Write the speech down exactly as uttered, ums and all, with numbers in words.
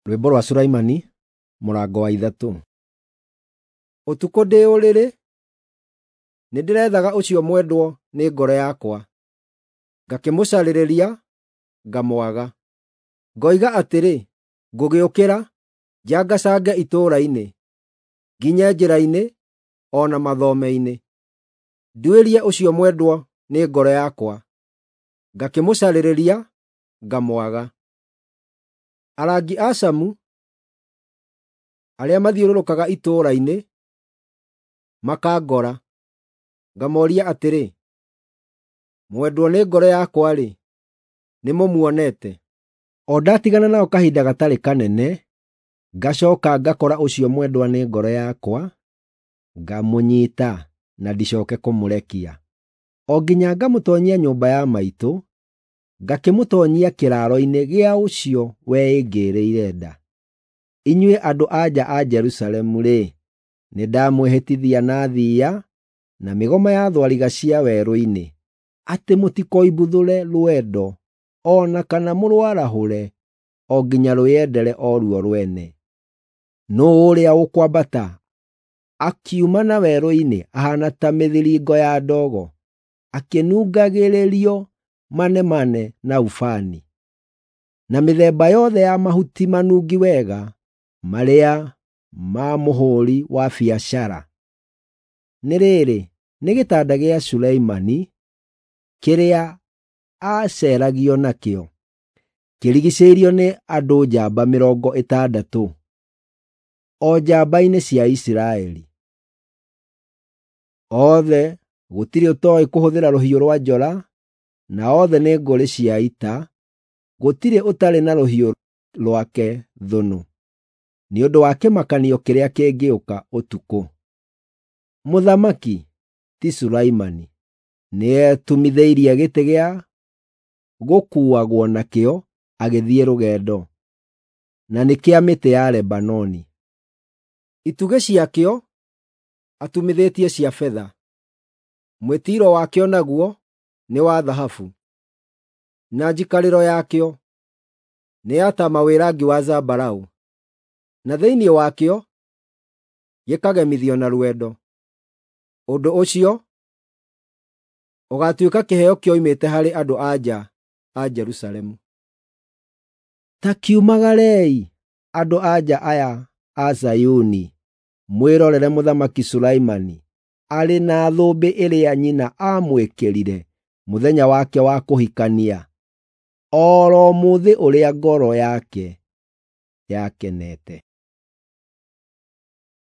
Rwĩmbo rwa Sulaimani, mũrango wa ithatũ. Ũtukũ ndĩ ũrĩrĩ, nĩndĩrethaga ũcio mwendwo nĩ ngoro yakwa, ngakĩmũcarĩrĩria, ngamwaga. Ngoiga atĩrĩ, “Ngũgĩũkĩra, njangacange itũũra-inĩ, nginye njĩra-inĩ, o na mathome-inĩ, nduĩrie ũcio mwendwo nĩ ngoro yakwa.” Ngakĩmũcarĩrĩria, ngamwaga. Arangi a camu, arĩa mathiũrũrũkaga itũũra-inĩ, makangora, ngamooria atĩrĩ, “Mwendwo nĩ ngoro yakwa-rĩ, nĩmũmuonete?” O ndatigana nao kahinda gatarĩ kanene, ngacooka ngakora ũcio mwendwa nĩ ngoro yakwa, ngamũnyiita na ndicooke kũmũrekia, o nginya ngamũtoonyia nyũmba ya maitũ, ngakĩmũtoonyia kĩraaro-inĩ gĩa ũcio weĩngĩrĩire nda. Inyuĩ andũ-a-nja a Jerusalemu-rĩ, nĩndamwĩhĩtithia na thiiya na mĩgoma ya thwariga cia werũ-inĩ, atĩ mũtikoimbuthũre rwendo o na kana mũrwarahũre o nginya rwĩyendere o ruo rwene. Nũũ ũrĩa ũkwambata akiuma na werũ-inĩ ahaana ta mĩthiringo ya ndogo, akĩnungagĩrĩrio manemane na ubani, na mĩthemba yothe ya mahuti manungi wega marĩa ma mũhũũri wa biacara? Nĩ rĩrĩ, nĩ gĩtanda gĩa Sulaimani kĩrĩa aaceragio nakĩo, kĩrigiicĩirio nĩ andũ njamba mĩrongo ĩtandatũ, o njamba-inĩ cia Isiraeli. Othe gũtirĩ ũtooĩ kũhũthĩra rũhiũ rwa njora, na othe nĩ ngũrĩ cia ita, gũtirĩ ũtarĩ na rũhiũ rwake thũnũ, nĩ ũndũ wa kĩmakanio kĩrĩa kĩngĩũka ũtukũ. Mũthamaki, ti Sulaimani, nĩetumithĩirie gĩtĩ gĩa gũkuuagwo nakĩo agĩthiĩ rũgendo, na nĩ kĩa mĩtĩ ya Lebanoni. Itugĩ ciakĩo atumithĩtie cia betha, mwĩtiiro wakĩo naguo nĩ wa thahabu, na njikarĩro yakĩo nĩ ya taama wĩ rangi wa zambarau, na thĩinĩ wakĩo gĩkagemithio na rwendo. Ũndũ ũcio ũgaatuĩka kĩheo kĩoimĩte harĩ andũ-a-nja a Jerusalemu. Ta kiumagarei, andũ-a-nja aya a Zayuni, mwĩrorere Mũthamaki Sulaimani arĩ na thũmbĩ ĩrĩa nyina aamwĩkĩrire mũthenya wake wa kũhikania, o ro mũthĩ ũrĩa ngoro yake yakenete.